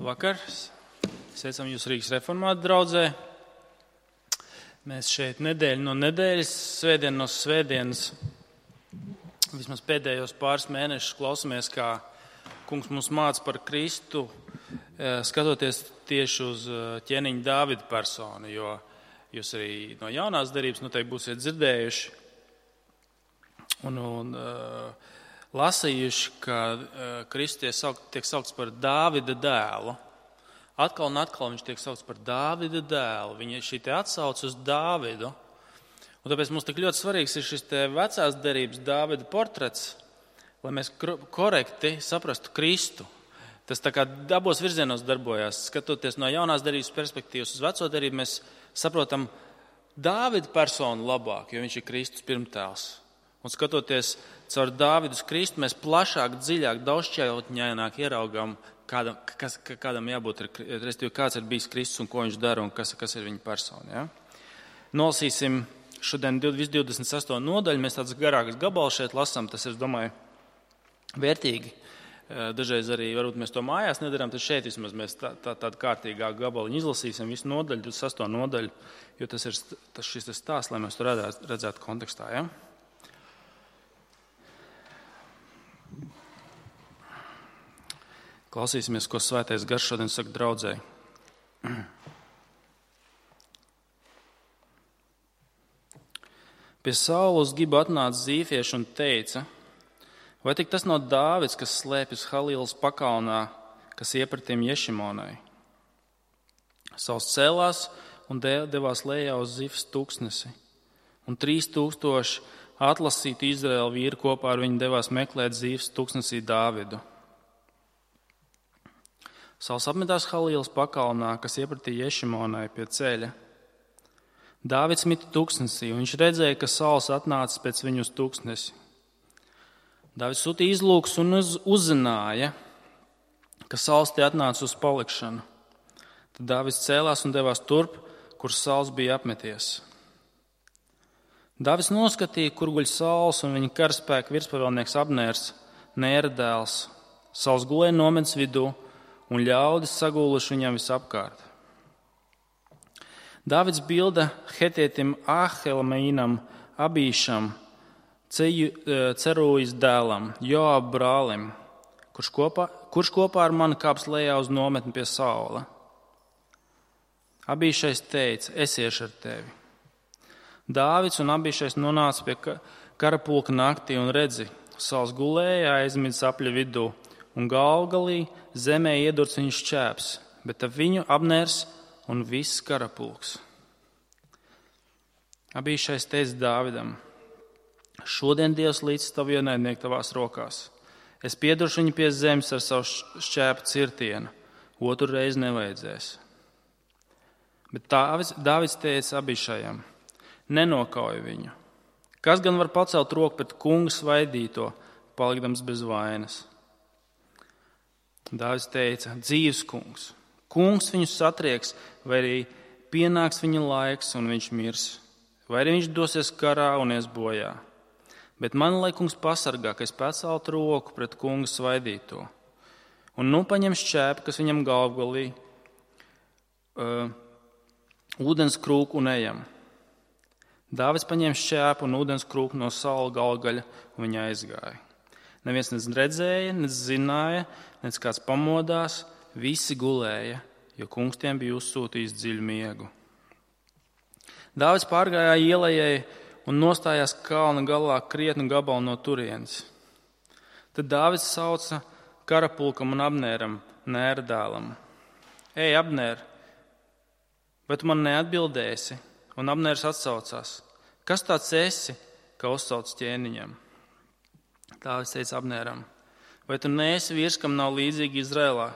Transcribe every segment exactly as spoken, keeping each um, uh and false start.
Vakar. Sveicam jūs Rīgas reformātu draudzē. Mēs šeit nedēļu no nedēļas, svētdienu no svētdienas, vismaz pēdējos pāris mēnešus klausamies, kā kungs mums māca par Kristu, skatoties tieši uz ķēniņa Dāvida personu, jo jūs arī no jaunās derības noteikti būsiet dzirdējuši un, un uh, lasījuši, ka uh, Kristus tiek saukts par Dāvida dēlu. Atkal un atkal viņš tiek saukts par Dāvida dēlu. Viņa šī te atsauc uz Dāvidu. Un tāpēc mums tik ļoti svarīgs ir šis te vecās derības Dāvida portrets, lai mēs korekti saprastu Kristu. Tas tā kā abos virzienos darbojās. Skatoties no jaunās derības perspektīvas uz veco derību, mēs saprotam Dāvida personu labāk, jo viņš ir Kristus pirmtēls. Un skatoties caur Dāvidu uz Kristu, mēs plašāk, dziļāk, daudzšķautņaināk ieraugam, kādam, kas, kādam jābūt, respektīvi, kāds ir bijis Kristus un ko viņš dara un kas, kas ir viņa persona. Ja? Nolasīsim šodien visu divdesmit sesto nodaļu, mēs tāds garāks gabals šeit lasām, tas ir, domāju, vērtīgi. Dažreiz arī, varbūt mēs to mājās nedarām, tad šeit vismaz mēs tā, tā, tādu kārtīgāku gabaliņu izlasīsim visu nodaļu, divdesmit sesto nodaļu, jo tas ir tas, šis stāsts, lai mēs to redzētu, redzētu kontekstā. Ja? Klausīsimies, ko Svētais Gars šodien saka draudzei. Pie Saulas Giba atnāca zīfieši un teica: vai tik tas nav Dāvids, kas slēpjas Halīlas pakalnā, kas iepratīm Ješimonai? Sauls cēlās un devās lejā uz Zifas tūkstnesi, un trīs tūkstoši atlasītu Izraēlu vīru kopā ar viņu devās meklēt Zifas tūkstnesī Dāvidu. Sauls apmetās Halīlas pakalnā, kas iepratīja Ješimonai pie ceļa. Dāvids mita tūkstnesī, un viņš redzēja, ka Sauls atnācis pēc viņu uz tūkstnesi. Dāvids sūtīja izlūkus un uz, uzzināja, ka Sauls tie atnāca uz palikšanu. Tad Dāvids cēlās un devās turp, kur Sauls bija apmeties. Dāvids noskatīja, kur guļ Sauls un viņa karaspēka virspavēlnieks Abnērs, Nēra dēls. Sauls gulēja nometnes vidū, un ļaudis sagūluši viņam visapkārt. Dāvids bilda Hetietim Āhelmaīnam, Abīšam, Cerūjas dēlam, Joab brālim, kurš kopā, kurš kopā ar mani kāps lejā uz nometni pie Saula. Abīšais teica: es iešu ar tevi. Dāvids un Abīšais nonāca pie karapulka naktī un redzi, Sauls gulēja aizmidzis apļa vidū, un galvgalī zemē iedurts viņu šķēps, bet ap viņu Abnērs un viss karapulks. Abīšais teica Dāvidam: šodien Dievs līdz tavu ienaidnieku tavās rokās. Es pieduršu viņu pie zemes ar savu šķēpu cirtienu, otru reizi nevajadzēs. Bet Dāvids, Dāvids teica Abīšajam: nenokauj viņu. Kas gan var pacelt roku pret kunga svaidīto, palikdams bez vainas? Dāvids teica: dzīvs kungs. Kungs viņu satrieks, vai arī pienāks viņa laiks un viņš mirs, vai arī viņš dosies karā un ies bojā. Bet man, lai kungs pasargā, ka es paceltu roku pret kunga svaidīto. Un nu paņem šķēpu, kas viņam galvgalī, uh, ūdens krūku un ejam. Dāvids paņēma šķēpu un ūdens krūku no Saula galvgaļa un viņa aizgāja. Neviens nec redzēja, nec zināja, nec kāds pamodās, visi gulēja, jo kungs tiem bija uzsūtījis dziļu miegu. Dāvids pārgājā ielejai un nostājās kalna galā krietnu gabalu no turienes. Tad Dāvids sauca karapulkam un Abnēram, Nēra dēlam: ej, Abnēr, vai tu man neatbildēsi? Un Abnērs atsaucās: kas tāds esi, ka uzsauc ķēniņam? Dāvids teica Abnēram: vai tu neesi vīrs, kam nav līdzīgi Izrēlā?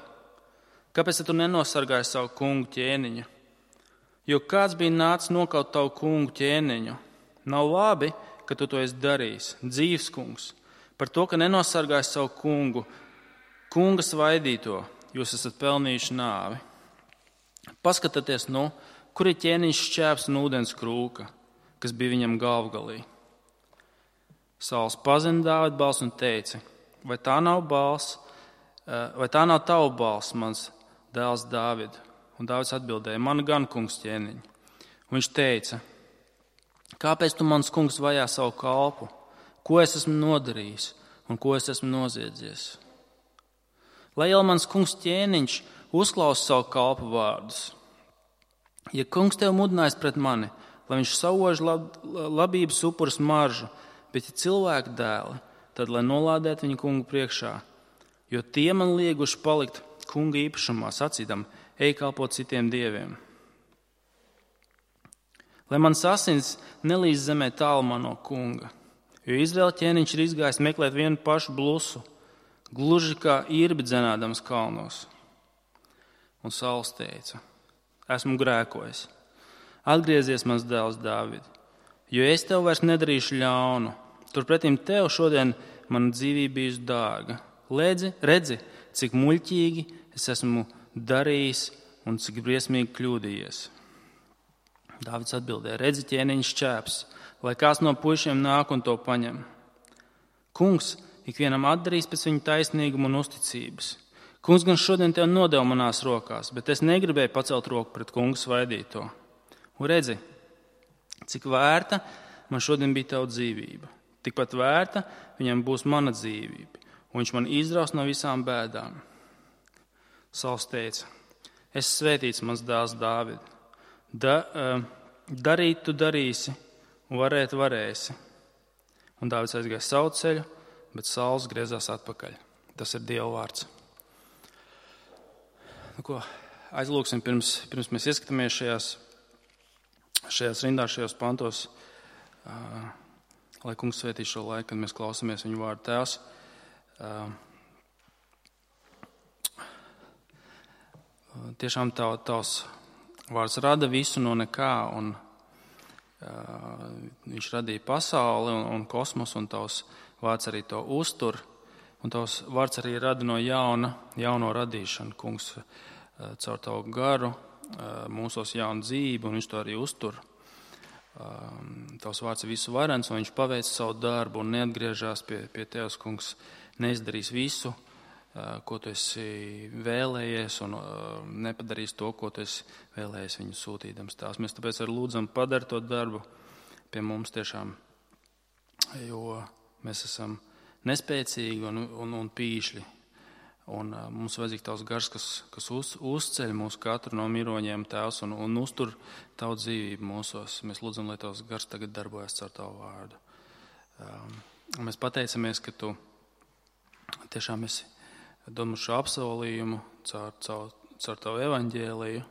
Kāpēc tu nenosargāji savu kungu ķēniņu? Jo kāds bija nācis nokaut tavu kungu ķēniņu? Nav labi, ka tu to esi darījis, dzīvs kungs. Par to, ka nenosargāji savu kungu, kunga svaidīto, jūs esat pelnījuši nāvi. Paskatieties, nu, kur ir ķēniņš šķēps un ūdens krūka, kas bija viņam galvgalī. Sauls pazina Dāvida balsi un teica: vai tā nav balss, vai tā nav tava balss, mans dēls Dāvidu. Un Dāvids atbildēja, man gan, kungs, ķēniņ. Un viņš teica, kāpēc tu, mans kungs, vajā savu kalpu? Ko es esmu nodarījis un ko es esmu noziedzies? Lai jau mans kungs ķēniņš uzklausa savu kalpu vārdus. Ja kungs tev mudinājis pret mani, lai viņš sauž lab, labības upurs maržu, bet ja cilvēku dēli, tad lai nolādētu viņu kungu priekšā, jo tie man lieguši palikt kunga īpašumā, sacīdam, ej kalpot citiem dieviem. Lai mans asins nelīdz zemē tālumā no kunga, jo Izraēla ķēniņš ir izgājis meklēt vienu pašu blusu, gluži kā irbi dzenādams kalnos. Un Sauls teica, esmu grēkojis. Atgriezies, mans dēls Dāvid, jo es tev vairs nedarīšu ļaunu. Turpretim tev šodien mana dzīvība bijusi dārga. Redzi, redzi, cik muļķīgi es esmu darījis un cik briesmīgi kļūdījies. Dāvids atbildēja, redzi, ķēniņš šķēps, lai kāds no puišiem nāk un to paņem. Kungs ikvienam atdarīs pēc viņa taisnīguma un uzticības. Kungs gan šodien tev nodeva manās rokās, bet es negribēju pacelt roku pret kungu svaidīto. Un redzi, cik vērta man šodien bija tava dzīvība. Tikpat vērta viņam būs mana dzīvība, un viņš man izraus no visām bēdām. Sauls teica, es svētīts, mans dēls Dāvid. Da, uh, darīt tu darīsi, un varēt varēsi. Un Dāvids aizgāja savu ceļu, bet Sauls griezās atpakaļ. Tas ir Dieva vārds. Nu, ko, aizlūksim, pirms, pirms mēs ieskatāmies šajās, šajās rindās, šajos pantos, uh, lai kungs svētī šo laiku, kad mēs klausamies viņu vārdu. Tēvs, uh, tiešām tav, tavs vārds rada visu no nekā, un uh, viņš radīja pasauli un, un kosmosu, un tavs vārds arī to uztur, un tavs vārds arī rada no jauna, jauno radīšanu, kungs, uh, caur tavu garu, uh, mūsos jaunu dzīvi, un viņš to arī uztur. Uh, tavs vārds ir visu varens, un viņš paveic savu darbu un neatgriežās pie, pie tevis, kungs, neizdarīs visu, ko tu esi vēlējies, un nepadarīs to, ko tu esi vēlējies viņu sūtīdams. Tās mēs tāpēc arī lūdzam padara to darbu pie mums tiešām, jo mēs esam nespēcīgi un, un, un pīšļi. Un mums vajadzīgs tavs gars, kas, kas uz, uzceļ mūs katru no miroņiem, Tēvs, un, un uztur tavu dzīvību mūsos. Mēs lūdzam, lai tavs gars tagad darbojas caur tavu vārdu. Um, mēs pateicamies, ka tu tiešām esi dod mums šo apsolījumu caur, caur, caur tavu evaņģēliju.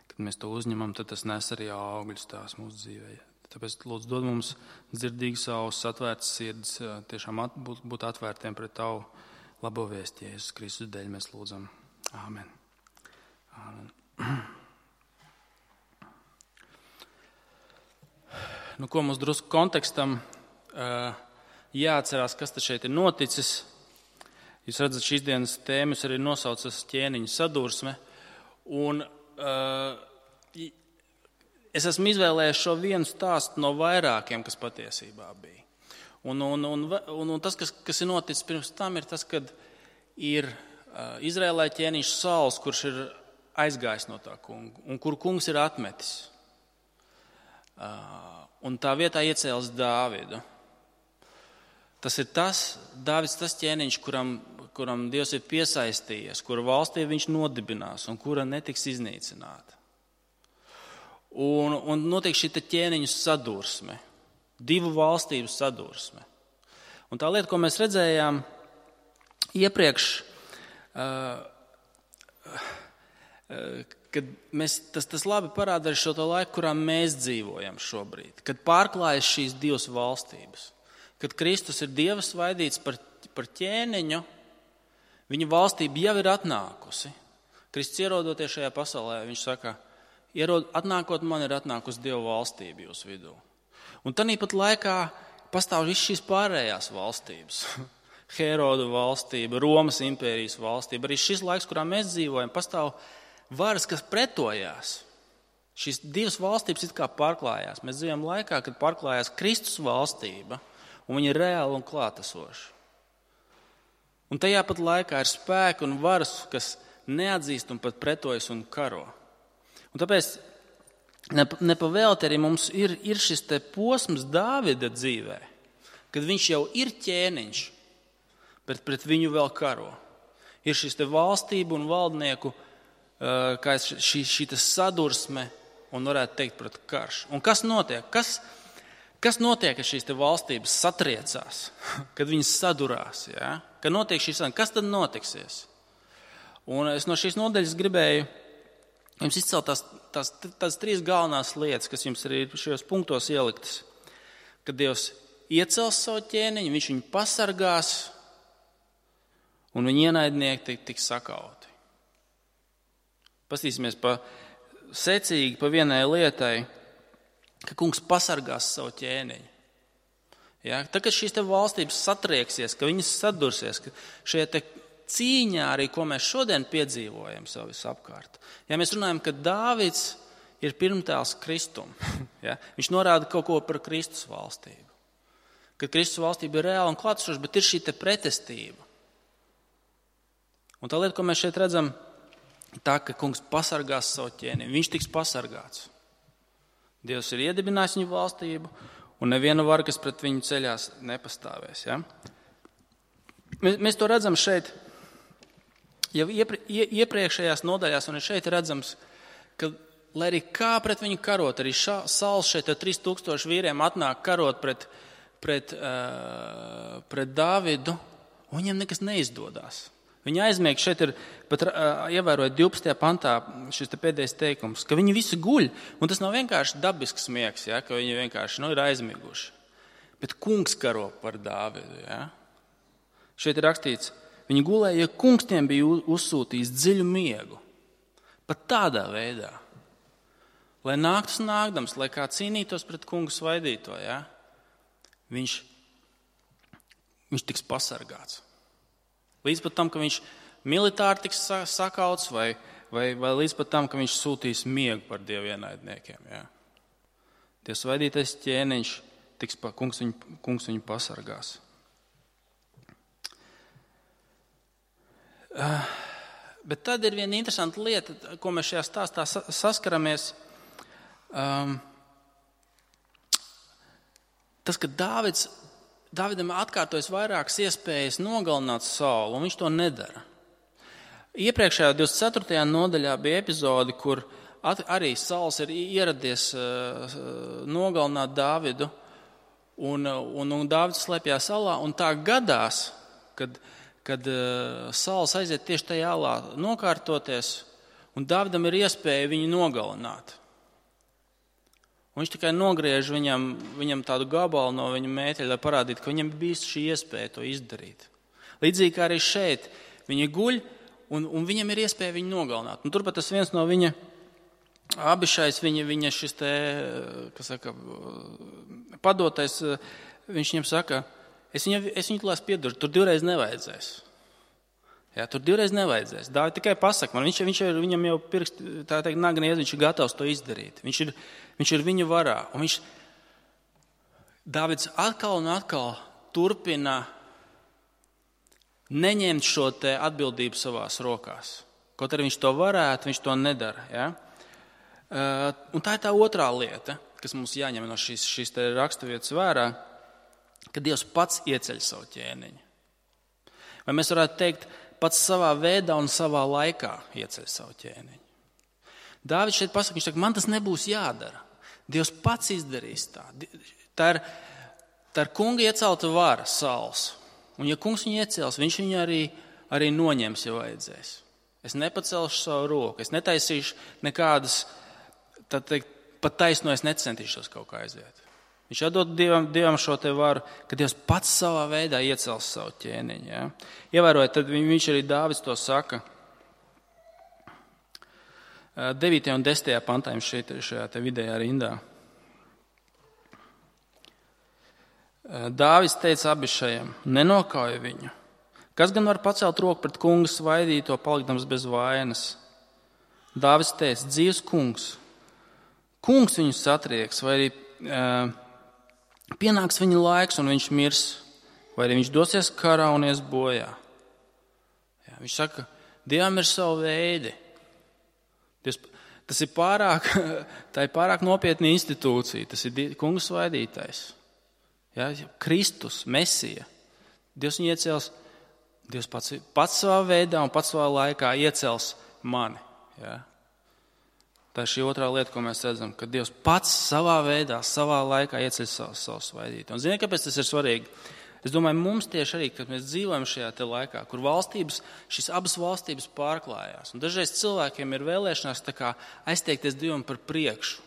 Kad mēs to uzņemam, tad tas nes arī augļus tās mūsu dzīvē. Tāpēc lūdzu dod mums dzirdīgas ausis, atvērtas sirds, tiešām at, būt, būt atvērtiem pret tavu labo vēsti, Jēzus Kristus dēļ mēs lūdzam. Āmen. Āmen. Nu, ko mums drusku kontekstam jāatcerās, kas te šeit ir noticis. Jūs redzat, šīs dienas tēmas arī nosaucas ķēniņa sadursme. Un uh, es esmu izvēlējies šo vienu stāstu no vairākiem, kas patiesībā bija. Un, un, un, un, un tas, kas, kas ir noticis pirms tam, ir tas, kad ir uh, Izrēlē ķēniņš Sauls, kurš ir aizgājis no tā kunga, un kur kungs ir atmetis. Uh, un tā vietā iecēlis Dāvidu. Tas ir tas, Dāvids, tas ķēniņš, kuram, kuram Dievs ir piesaistījies, kura valstī viņš nodibinās un kura netiks iznīcināta. Un, un notiek šī ķēniņu sadursme, divu valstību sadursme. Un tā lieta, ko mēs redzējām iepriekš, uh, uh, kad mēs, tas, tas labi parāda arī šo to laiku, kurā mēs dzīvojam šobrīd, kad pārklājas šīs divas valstības. Kad Kristus ir Dieva svaidīts par, par ķēniņu, viņa valstība jau ir atnākusi. Kristus ierodoties šajā pasaulē, viņš saka, ierod, atnākot man ir atnākusi Dieva valstība jūsu vidū. Un tāpat laikā pastāv viss šīs pārējās valstības. Herodu valstība, Romas impērijas valstība. Arī šis laiks, kurā mēs dzīvojam, pastāv varas, kas pretojās. Šīs divas valstības it kā pārklājās. Mēs dzīvojam laikā, kad pārklājās Kristus valstība, un viņi ir reāli un klātesoši. Un tajā pat laikā ir spēki un varas, kas neatzīst un pat pretojas un karo. Un tāpēc nepavēlti arī mums ir, ir šis te posms Dāvida dzīvē, kad viņš jau ir ķēniņš, bet pret viņu vēl karo. Ir šis te valstību un valdnieku kā šī, šī sadursme un varētu teikt pret karš. Un kas notiek? Kas, kas notiek, kad šīs te valstības satriecās, kad viņas sadurās? Ja? Kad notiek šīs, kas tad notiksies? Un es no šīs nodaļas gribēju jums izcelt tās, tās, tās trīs galvenās lietas, kas jums arī ir šajos punktos ieliktas. Kad Dievs iecels savu ķēniņu, viņš viņu pasargās un viņa ienaidnieki tiks sakauti. Pastīsimies pa secīgi pa vienai lietai, ka kungs pasargās savu ķēniņu. Ja? Tad, kad šīs te valstības satrieksies, ka viņas sadursies, ka šie te cīņā arī, ko mēs šodien piedzīvojam sev visapkārt. Ja mēs runājam, ka Dāvids ir pirmtēls Kristum, ja? Viņš norāda kaut ko par Kristus valstību. Kad Kristus valstība ir reāla un klātsoša, bet ir šī te pretestība. Un tā lieta, ko mēs šeit redzam, tā, ka kungs pasargās savu ķēni, viņš tiks pasargāts. Dievs ir iedibinājis viņu valstību, un neviena vara, kas pret viņu ceļās, nepastāvēs. Ja? Mēs, mēs to redzam šeit, jau iepri, iepriekšējās nodaļās, un šeit redzams, ka, lai arī kā pret viņu karot, arī šā, Sauls šeit ar trīs tūkstoši vīriem atnāk karot pret, pret, uh, pret Dāvidu, un viņam nekas neizdodas. Viņi aizmieg, šeit ir pat uh, ievērojot divpadsmitajā pantā šis te pēdējais teikums, ka viņi visi guļ, un tas nav vienkārši dabisks miegs, ja, ka viņi vienkārši nu, ir aizmiguši. Bet kungs karo par Dāvidu. Ja. Šeit ir rakstīts, viņi gulēja, ja kungs tiem bija uzsūtījis dziļu miegu. Pat tādā veidā. Lai nāktas nākdams, lai kā cīnītos pret kungu svaidīto, ja, viņš, viņš tiks pasargāts. Līdz pat tam, ka viņš militāri tiks sakauts, vai, vai, vai līdz pat tam, ka viņš sūtīs miegu par Dievu ienaidniekiem. Ja. Dievs svaidītais ķēniņš, tiks, kungs, viņu, kungs viņu pasargās. Uh, bet tad ir viena interesanta lieta, ko mēs šajā stāstā saskaramies. Um, tas, ka Dāvids, Dāvidam atkārtojas vairākas iespējas nogalināt Saulu, un viņš to nedara. Iepriekšējā divdesmit ceturtajā nodaļā bija epizode, kur at, arī Sauls ir ieradies uh, nogalināt Dāvidu, un, un, un Dāvids slēpjās alā, un tā gadās, kad kad uh, Sauls aiziet tieši tajā alā nokārtoties, un Dāvidam ir iespēja viņu nogalināt. Un viņš tikai nogriež viņam, viņam tādu gabalu no viņa mēteļa, lai parādītu, ka viņam bijis šī iespēja to izdarīt. Līdzīgi kā arī šeit, viņi guļ, un, un viņam ir iespēja viņu nogalināt. Un turpat tas viens no viņa abišais, viņa, viņa šis te, kas saka, padotais, viņš viņam saka, Es viņu, es viņu klās piedošu, tur divreiz nevajadzēs. Jā, tur divreiz nevajadzēs. Dāvid tikai pasaka man, viņš, viņš ir, viņam jau pirkst, tā teikt, nagnies, viņš ir gatavs to izdarīt. Viņš ir, viņš ir viņu varā. Un viņš, Dāvids atkal un atkal turpina neņemt šo te atbildību savās rokās. Kaut arī viņš to varētu, viņš to nedara. Ja? Uh, un tā ir tā otrā lieta, kas mums jāņem no šīs, šīs te raksturvietas vērā, ka Dievs pats ieceļ savu ķēniņu. Vai mēs varētu teikt, pats savā veidā un savā laikā ieceļ savu ķēniņu. Dāvids šeit pasaka, viņš saka, man tas nebūs jādara. Dievs pats izdarīs tā. Tā ir, tā ir kunga iecelta vara, Sauls. Un ja kungs viņu iecels, viņš viņu arī, arī noņems, ja vajadzēs. Es nepacelšu savu roku, es netaisīšu nekādas, tad teikt, pat taisno es necentīšos kaut kā aiziet. Viņš atdod Dievam, Dievam šo te varu, ka Dievs pats savā veidā iecels savu ķēniņu. Ja? Ievērojot, tad viņš arī Dāvids to saka. devītajā un desmitajā pantā šeit, šajā te vidējā rindā. Dāvids teica Abišajam, nenokauj viņu. Kas gan var pacelt roku pret kungu svaidīto, palikdams bez vainas? Dāvids teica, dzīvs kungs. Kungs viņu satrieks, vai arī uh, pienāks viņa laiks un viņš mirs, vai arī viņš dosies karā un ies bojā. Jā, viņš saka, Dievam ir savi veidi. Dievs, tas ir pārāk, tā ir pārāk nopietna institūcija. Tas ir kungs svaidītais. Ja? Kristus, Mesija. Dievs viņu iecels, Dievs pats, pats savā veidā un pats savā laikā iecels mani. Ja? Tā ir šī otrā lieta, ko mēs redzam, ka Dievs pats savā veidā, savā laikā ieceļ savu, savu svaidītu. Un ziniet, kāpēc tas ir svarīgi? Es domāju, mums tieši arī, kad mēs dzīvojam šajā te laikā, kur valstības, šīs abas valstības pārklājās. Un dažreiz cilvēkiem ir vēlēšanās tā kā aizteikties Dievam par priekšu.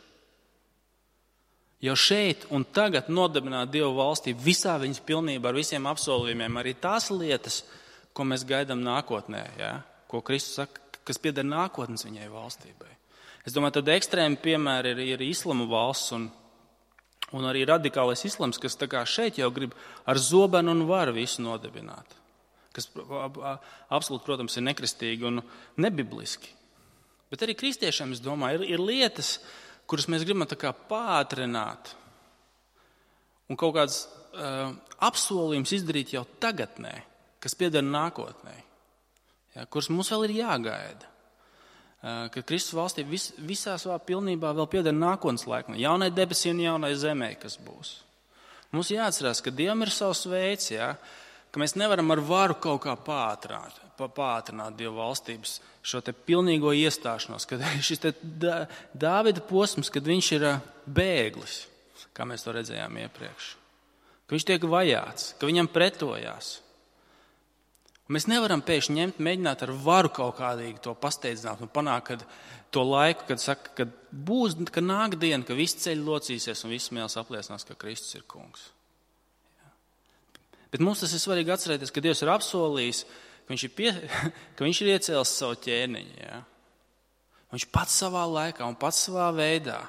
Jau šeit un tagad nodibināt Dievu valstību visā viņas pilnībā ar visiem apsolījumiem, arī tās lietas, ko mēs gaidām nākotnē, ja? Ko Kristus saka, kas pieder nākotnes viņai valstībai. Es domāju, tad ekstrēmi piemēri ir, ir islama valsts un, un arī radikālais islams, kas tā kā šeit jau grib ar zobenu un varu visu nodibināt. Kas absolūti, protams, ir nekristīgi un nebibliski. Bet arī kristiešiem, es domāju, ir, ir lietas, kuras mēs gribam tā kā pātrināt un kaut kāds uh, apsolījums izdarīt jau tagadnē, kas pieder nākotnē, ja, kuras mums vēl ir jāgaida. Ka Kristus valstība vis, visā savā pilnībā vēl pieder nākotnes laikam, jaunai debesī un jaunai zemē, kas būs. Mums jāatcerās, ka Dievam ir savs veids, ja, ka mēs nevaram ar varu kaut kā pātrināt, pātrināt Dieva valstības šo te pilnīgo iestāšanos, kad šis te Dāvida posms, kad viņš ir bēglis, kā mēs to redzējām iepriekš, ka viņš tiek vajāts, ka viņam pretojās. Mēs nevaram pēkšņi ņemt, mēģināt ar varu kaut kādīgi to pasteidzināt un panākt, kad to laiku, kad saka, kad būs, ka nāk diena, ka visi ceļi locīsies un visi mēls apliecinās, ka Kristus ir kungs. Ja. Bet mums tas ir svarīgi atcerēties, ka Dievs ir apsolījis, ka viņš ir, pie, ka viņš ir iecēlis savu ķēniņu. Ja. Viņš pats savā laikā un pats savā veidā,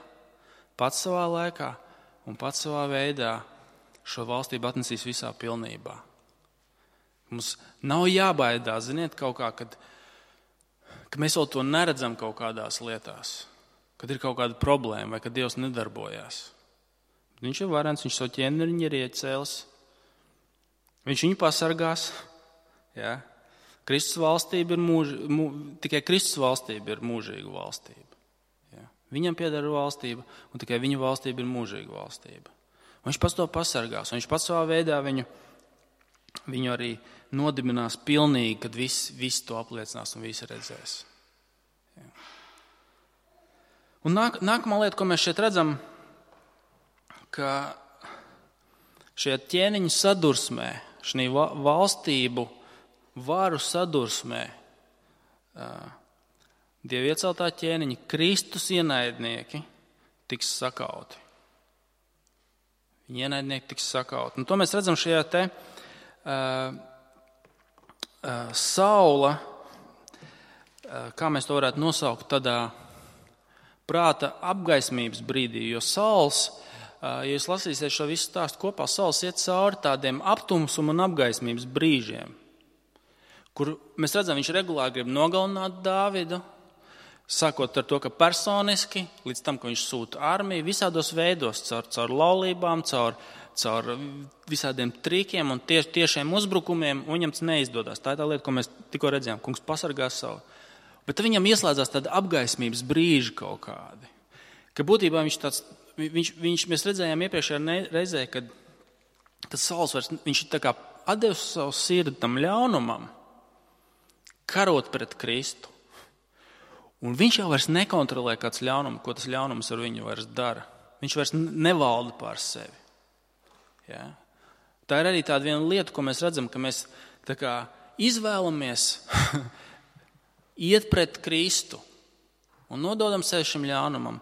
pats savā laikā un pats savā veidā šo valstību atnesīs visā pilnībā. Mums nav jābaidās, ziniet, kaut kā, kad, ka mēs vēl to neredzam kaut kādās lietās, kad ir kaut kāda problēma vai kad Dievs nedarbojās. Viņš ir varens, viņš savu ķēniņu ir iecēlis, viņš viņu pasargās. Ja? Kristus valstība ir mūž, mū, tikai Kristus valstība ir mūžīga valstība. Ja? Viņam pieder valstība un tikai viņa valstība ir mūžīga valstība. Un viņš pats to pasargās, un viņš pats savā veidā viņu Viņu arī nodibinās pilnīgi, kad visi, visi to apliecinās un visi redzēs. Ja. Un nāk, nākamā lieta, ko mēs šeit redzam, ka šajā ķēniņu sadursmē, šī valstību varu sadursmē, Dieva ieceltā ķēniņa Kristus ienaidnieki tiks sakauti. Viņa ienaidnieki tiks sakauti. Un to mēs redzam šajā te Uh, uh, Saula, uh, kā mēs to varētu nosaukt, tādā prāta apgaismības brīdī, jo Sauls, uh, ja jūs lasīsiet šo visu stāstu kopā, Sauls iet cauri tādiem aptumsuma un apgaismības brīžiem, kur mēs redzam, viņš regulāri grib nogalināt Dāvidu, sākot ar to, ka personiski, līdz tam, ka viņš sūta armiju, visādos veidos, caur, caur laulībām, caur caur visādiem trikiem un tie, tiešiem uzbrukumiem, un viņam tas neizdodas. Tā ir tā lieta, ko mēs tikko redzējām. Kungs pasargās savu. Bet viņam ieslēdzās tāda apgaismības brīži kaut kādi. Ka būtībā viņš tāds, viņš, viņš, mēs redzējām iepriekšējā reizē, kad, kad Sauls vairs, viņš tā kā atdevis savu sirdi tam ļaunumam, karot pret Kristu. Un viņš jau vairs nekontrolē kāds ļaunums, ko tas ļaunums ar viņu vairs dara. Viņš vairs nevalda pār sevi. Ja? Tā ir arī tāda viena lieta, ko mēs redzam, ka mēs tā kā izvēlamies iet pret Kristu un nododam sevi šim ļaunumam.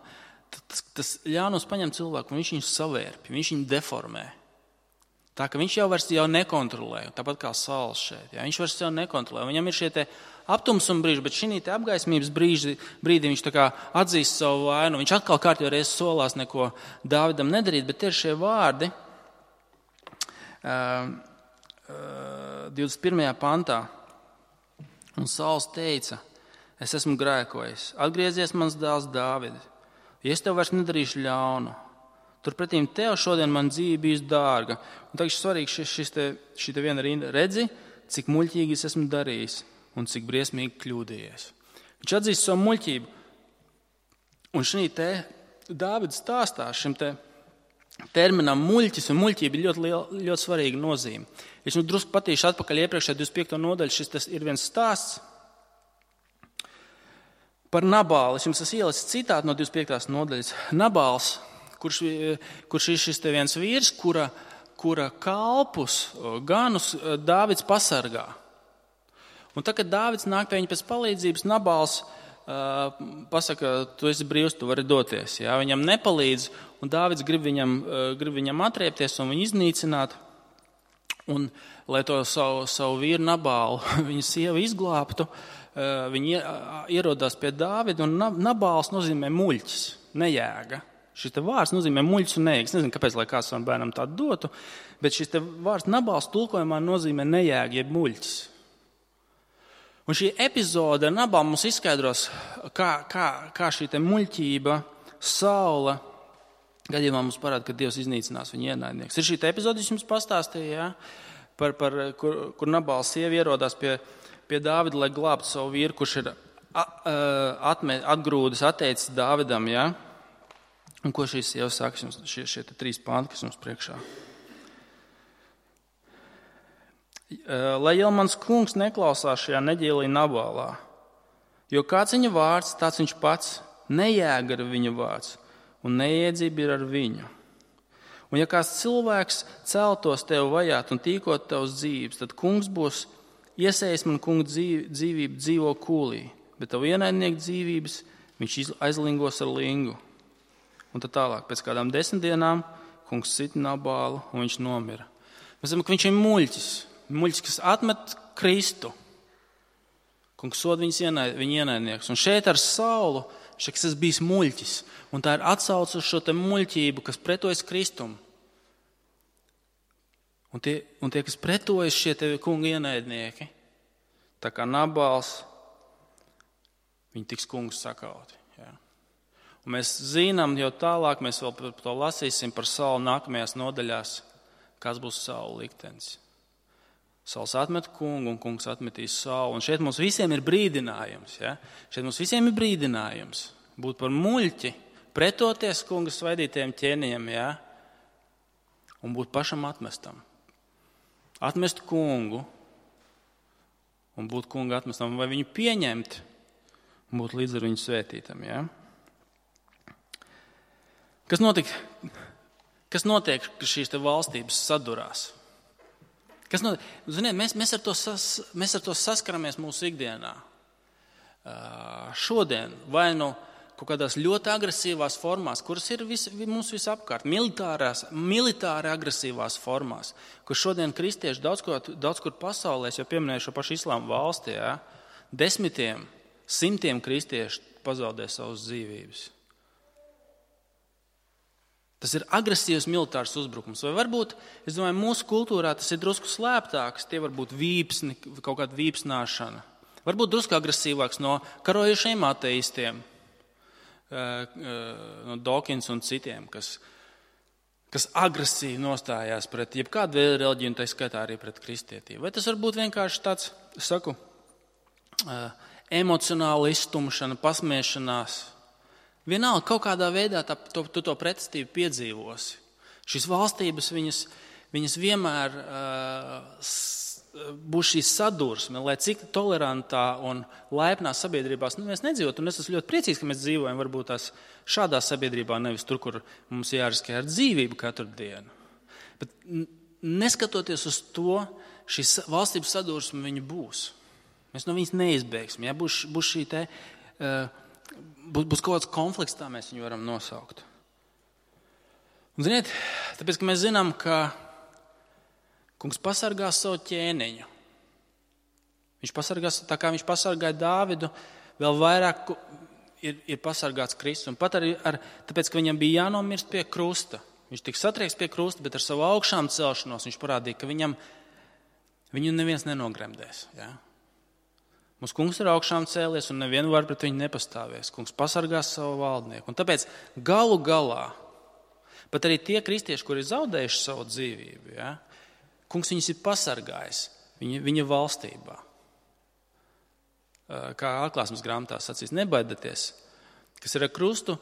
Tas, tas ļaunums paņem cilvēku un viņš viņu savērpj, viņš viņu deformē. Tā ka viņš jau vairs jau nekontrolē, tāpat kā Sauls šeit. Ja? Viņš vairs jau nekontrolē. Viņam ir šie te aptumsuma brīži, bet šī te apgaismības brīži, brīdī viņš tā kā atzīst savu vainu. Viņš atkal kārtībā reizes solās neko Dāvidam nedarīt, bet ir šie vārdi divdesmit pirmajā pantā. Un Sauls teica, es esmu grēkojis, atgriezies mans dēls Dāvidi, ja es tev vairs nedarīšu ļaunu. Turpretīm tev šodien man dzīve bijusi dārga. Un tagad svarīgi šis, šis te, šī te viena rinda. Redzi, cik muļķīgi es esmu darījis. un cik briesmīgi kļūdījies. Viņš atzīst savu muļķību. Un šī te Dāvida stāstā šim te terminam muļķis un muļķība ir ļoti, liela, ļoti svarīga nozīme. Es jums drusku patīšu atpakaļ iepriekšējā divdesmit piekto nodaļu. Šis tas ir viens stāsts par Nabālu. Es jums esmu ielicis citātu no divdesmit piektās nodaļas. Nabāls, kurš, kurš ir šis te viens vīrs, kura, kura kalpus, ganus Dāvids pasargā. Un tad, kad Dāvids nāk pie viņa pēc palīdzības, Nabāls uh, pasaka, tu esi brīvs, tu vari doties. Jā? Viņam nepalīdz, un Dāvids grib viņam, uh, grib viņam atriepties un viņu iznīcināt. Un, lai to savu, savu vīru Nabālu, viņa sievu izglābtu, uh, viņi ierodās pie Dāvida, un Nabāls nozīmē muļķis, nejēga. Šis te vārds nozīmē muļķis un nejēga. Es nezinu, kāpēc, lai kāds savam bērnam tādu dotu, bet šis te vārds Nabāls tulkojumā nozīmē nejēga, jeb muļķis. Un šī epizode ar Nabālu mums izskaidros, kā, kā, kā šī te muļķība, Saula gadījumā mums parāda, ka Dievs iznīcinās viņa ienaidnieks. Ir šī te epizode, es jums pastāstīju, ja? par, par, kur, kur Nabāls sieva ierodās pie, pie Dāvida, lai glābtu savu vīru, kurš ir atme, atgrūdis, atteicis Dāvidam. Ja? Un ko šīs sieva saka, šie, šie te trīs panti, kas mums priekšā. Lai jau mans kungs neklausās šajā neģēlī Nabālā, jo kāds viņa vārds, tāds viņš pats, nejēga ar viņa vārds, un neiedzība ir ar viņu. Un ja kāds cilvēks celtos tev vajāt un tīkot tavs dzīvības, tad kungs būs iesējis man kunga dzīvību dzīvo kūlī, bet tavu ienaidnieku dzīvības viņš aizlingos ar lingu. Un tad tālāk, pēc kādām desmit dienām, kungs sit Nabālu un viņš nomira. Mēs zinām, ka viņš ir muļķis. Muļķis, kas atmet Kristu. Kungs sod viņas ienaid, viņa ienaidnieks. Un šeit ar Saulu, šeit es bijis muļķis. Un tā ir atsauce uz šo te muļķību, kas pretojas Kristum. Un tie, un tie kas pretojas šie tevi kunga ienaidnieki, tā kā Nabāls, viņi tiks kungs sakauti. Jā. Un mēs zinām jau tālāk, mēs vēl par to lasīsim par Saulu nākamajās nodaļās, kas būs Saula liktenis. Sauls atmet kungu un kungs atmetīs Saulu. Un šeit mums visiem ir brīdinājums. Ja? Šeit mums visiem ir brīdinājums būt par muļķi, pretoties kunga svaidītajiem ķēniņiem, ja? Un būt pašam atmestam. Atmest kungu un būt kunga atmestam, vai viņu pieņemt un būt līdz ar viņu svētītam. Ja? Kas notiek, kas notiek, ka šīs te valstības sadurās? Kas no, ziniet, mēs, mēs, ar to sas, mēs ar to saskaramies mūsu ikdienā. Uh, šodien vai nu kaut kādās ļoti agresīvās formās, kuras ir vis, mums visapkārt, militārās, militāri agresīvās formās, kur šodien kristieši daudz kur, daudz kur pasaulē, es jau pieminēju šo pašu islāma valstī, ja, desmitiem, simtiem kristieši pazaudē savas dzīvības. Tas ir agresīvs militārs uzbrukums. Vai varbūt, es domāju, mūsu kultūrā tas ir drusku slēptāks, tie var būt vīpsni, kaut kāda vīpsnāšana. Varbūt drusku agresīvāks no karojušiem ateistiem, no Dawkins un citiem, kas, kas agresīvi nostājās pret jebkādu veidu reliģiju, un tā skaitā arī pret kristietību. Vai tas var būt vienkārši tāds, es saku, emocionāla izstumšana, pasmiešanās? Vienalga, kaut kādā veidā tā, tu to, to pretestību piedzīvosi. Šīs valstības, viņas, viņas vienmēr uh, būs šī sadursme, lai cik tolerantā un laipnā sabiedrībās nu, mēs nedzīvot. Un es esmu ļoti priecīgs, ka mēs dzīvojam varbūt tās šādā sabiedrībā, nevis tur, kur mums jāriskē ar dzīvību katru dienu. Bet neskatoties uz to, šī valstības sadursme viņa būs. Mēs no viņas neizbēgsim. Ja? Būs, būs šī te... Uh, Būs kaut kāds konflikts, tā mēs viņu varam nosaukt. Un, ziniet, tāpēc, ka mēs zinām, ka kungs pasargās savu ķēniņu. Viņš pasargās, tā kā viņš pasargāja Dāvidu, vēl vairāk ir, ir pasargāts Kristus. Un pat arī ar, tāpēc, ka viņam bija jānomirst pie krusta. Viņš tika satriekts pie krusta, bet ar savu augšām celšanos viņš parādīja, ka viņam, viņu neviens nenogremdēs. Ja? Mūsu kungs ir augšām cēlies un nevienu var pret viņu nepastāvēs. Kungs pasargās savu valdnieku. Un tāpēc galu galā, pat arī tie kristieši, kuri ir zaudējuši savu dzīvību, ja, kungs viņus ir pasargājis viņa, viņa valstībā. kā atklāsmes grāmatā sacīs, nebaidieties, kas ir ar krustu,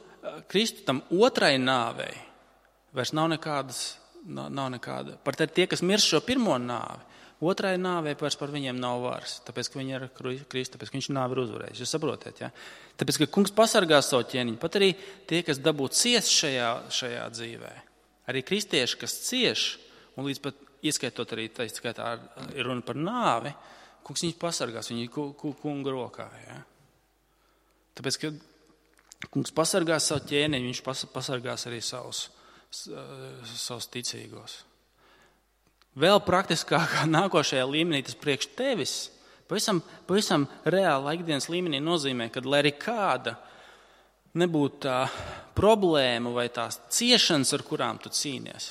Kristu tam otrai nāvei, vairs nav nekādas, nav, nav nekāda. Par tie, kas mirst šo pirmo nāvi, otrai nāvei vairs par viņiem nav varas, tāpēc, ka viņi ir Kristu, tāpēc, ka viņš nāvi ir uzvarējis. Jūs saprotiet, ja? Tāpēc, ka kungs pasargā savu ķēniņu, pat arī tie, kas dabū ciest šajā, šajā dzīvē. Arī kristieši, kas cieš, un līdz pat ieskaitot arī, tā skaitā, ir runa par nāvi, kungs viņus pasargās, viņi ir kunga rokā. Ja? Tāpēc, ka kungs pasargās savu ķēniņu, viņš pasargās arī savus, savus ticīgos. Vēl praktiskākā nākošajā līmenī tas priekš tevis, pavisam, pavisam reāli ikdienas līmenī nozīmē, ka lai arī kāda nebūtu tā problēma vai tās ciešanas, ar kurām tu cīnies,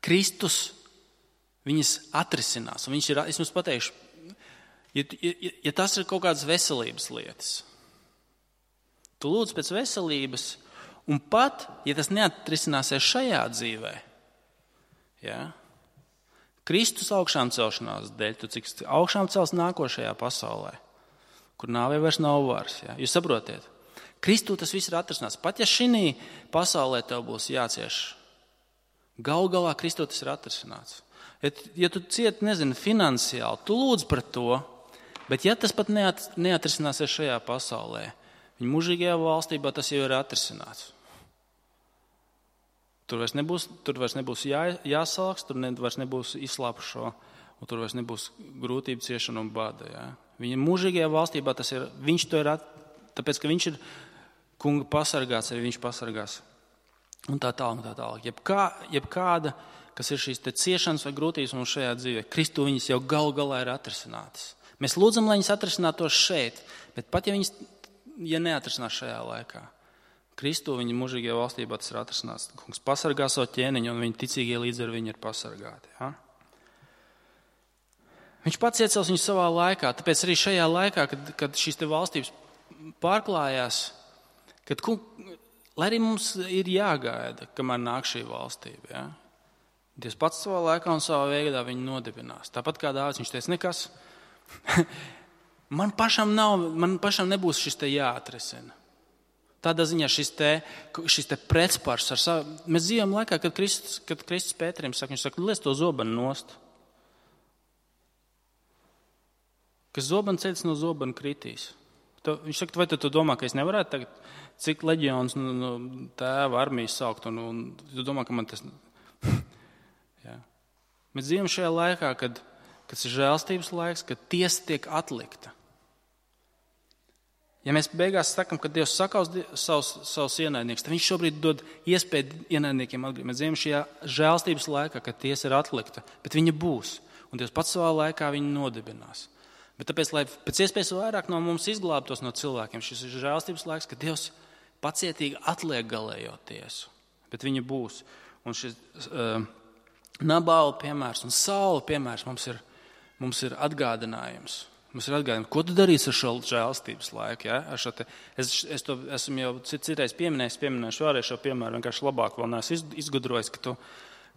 Kristus viņas atrisinās. Un viņš ir, es jums pateikšu, ja, ja, ja tas ir kaut kādas veselības lietas, tu lūdz pēc veselības, un pat, ja tas neatrisināsies šajā dzīvē, ja, Kristus augšām celšanās dēļ, tu cik augšām cels nākošajā pasaulē, kur nāvei vairs nav varas. Ja. Jūs saprotiet? Kristu tas viss ir atrisināts. Pat ja šī pasaulē tev būs jācieš, gal galā Kristu tas ir atrisināts. Ja, ja tu ciet, nezinu, finansiāli, tu lūdz par to, bet ja tas pat neat, neatrisināsies šajā pasaulē, viņa mūžīgajā valstībā tas jau ir atrisināts. Tur vairs nebūs, tur vairs nebūs jā, jāsalks, tur ne, vairs nebūs izslāpušo, un tur vairs nebūs grūtību, ciešana un bada. Ja? Viņa mūžīgajā valstībā tas ir, viņš to ir, at, tāpēc, ka viņš ir kunga pasargāts, arī viņš pasargās. Un tā tālāk, un tā tālāk. Jebkā, jebkāda, kas ir šīs te ciešanas vai grūtības mums šajā dzīvē, Kristu viņas jau gal galā ir atrisinātas. Mēs lūdzam, lai viņas atrisinātos šeit, bet pat ja viņas, ja neatrisinās šajā laikā, Kristu viņa mūžīgajā valstībā tas ir atrisināts. Kungs pasargā savu ķēniņu, un viņa ticīgie līdz ar viņu ir pasargāti. Ja? Viņš pats iecels viņu savā laikā, tāpēc arī šajā laikā, kad, kad šīs te valstības pārklājās, kad, lai arī mums ir jāgaida, kamēr nāk šī valstība. Ja? Dievs pats savā laikā un savā veidā viņu nodibinās. Tāpat kā Dāvids, viņš teica, nekas, man pašam nav, man pašam nebūs šis te jāatrisina. Tādā ziņā šis te, šis te pretspārs ar savu... Mēs dzīvojam laikā, kad Kristus, kad Kristus Pēterim saka, viņš saka, liec to zobenu nost. Kas zobenu ceļas no zobenu kritīs. To, viņš saka, vai tu, tu domā, ka es nevarētu tagad, cik leģions no, no tēva armijas saukt, un, un tu domā, ka man tas... Jā. Mēs dzīvojam šajā laikā, kad, kad ir žēlstības laiks, kad tiesa tiek atlikta. Ja mēs beigās sakam, ka Dievs sakaus savus, savus ienaidniekus, tad viņš šobrīd dod iespēju ienaidniekiem atgriezt. Mēs dzīvojam šajā žēlstības laikā, kad tiesa ir atlikta, bet viņa būs. Un Dievs pats savā laikā viņu nodibinās. Bet tāpēc, lai pēc iespējas vairāk no mums izglābtos no cilvēkiem, šis ir žēlstības laiks, kad Dievs pacietīgi atliek galējo tiesu. Bet viņa būs. Un šis uh, Nabāla piemērs un Saula piemērs mums ir, mums ir atgādinājums. Mums ir atgādājums, ko tu darīsi ar šo žēlstības laiku. Ja? Ar šo te, es, es to esmu jau citreiz pieminējis, pieminējuši vēlreiz šo piemēru, vienkārši labāk vēl neesmu izgudrojis, ka tu,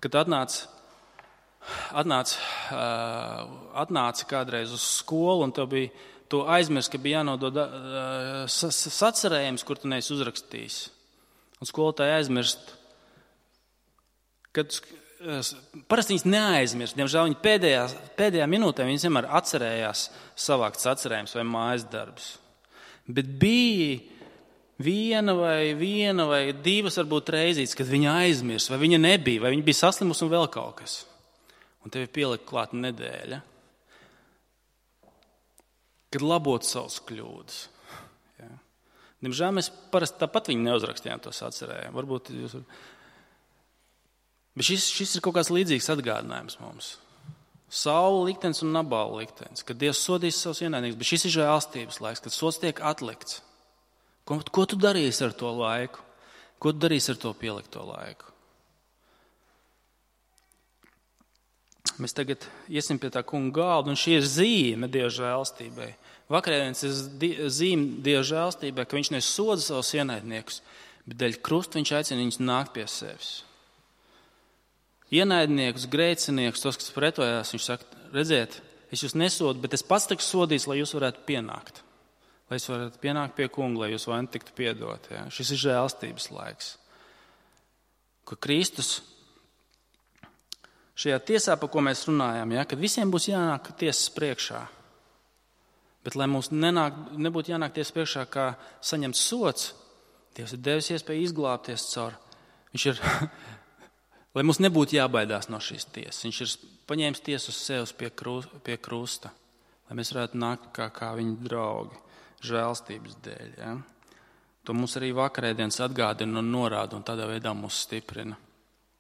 kad tu atnāc, atnāc, uh, atnāci kādreiz uz skolu un tev bija, tu aizmirst, ka bija jānodod uh, sacerējums, kur tu neesi uzrakstījis. Un skolotāji aizmirst, kad parasti viņas neaizmirst. Diemžēl viņi pēdējā, pēdējā minūtē viņas vienmēr atcerējās savākt sacerējumus vai mājas darbus. Bet bija viena vai viena vai divas varbūt reizītes, kad viņa aizmirst, vai viņa nebija, vai viņa bija saslimusi un vēl kaut kas. Un tev ir pielikt klāt nedēļa, kad labot savus kļūdas. Ja. Diemžēl mēs parasti tāpat viņu neuzrakstījām to sacerējumu. Varbūt jūs... Bet šis, šis ir kaut kāds līdzīgs atgādinājums mums. Saula liktenis un Nabāla liktenis, kad Dievs sodīs savus ienaidniekus, bet šis ir žēlstības laiks, kad sods tiek atlikts. Ko, ko tu darīsi ar to laiku? Ko tu darīsi ar to pielikto laiku? Mēs tagad iesim pie tā kunga galda, un šī ir zīme Dieva žēlstībai. Vakarēdienas ir zīme Dieva žēlstībai, ka viņš nesoda savus ienaidniekus, bet dēļ krusta viņš aicina viņus nākt pie sevis. Ienaidniekus, grēciniekus, tos, kas pretojās, viņš saka, redziet, es jūs nesodu, bet es pats tikšu sodīts, lai jūs varētu pienākt. Lai jūs varētu pienākt pie kunga, lai jūs vaini tiktu piedot. Ja? Šis ir žēlstības laiks. Ka Kristus šajā tiesā, par ko mēs runājam, ja? Kad visiem būs jānāk tiesas priekšā, bet lai mums nenāk, nebūtu jānāk tiesas priekšā kā saņemts sots, Dievs ir devis iespēju izglābties caur. Viņš ir, lai mums nebūtu jābaidās no šīs tiesas. Viņš ir paņēmis tiesu uz sevis pie, krū, pie krusta, lai mēs varētu nākt kā, kā viņa draugi, žēlstības dēļ. Ja? To mums arī vakarēdienas atgādina un norāda un tādā veidā mūs stiprina.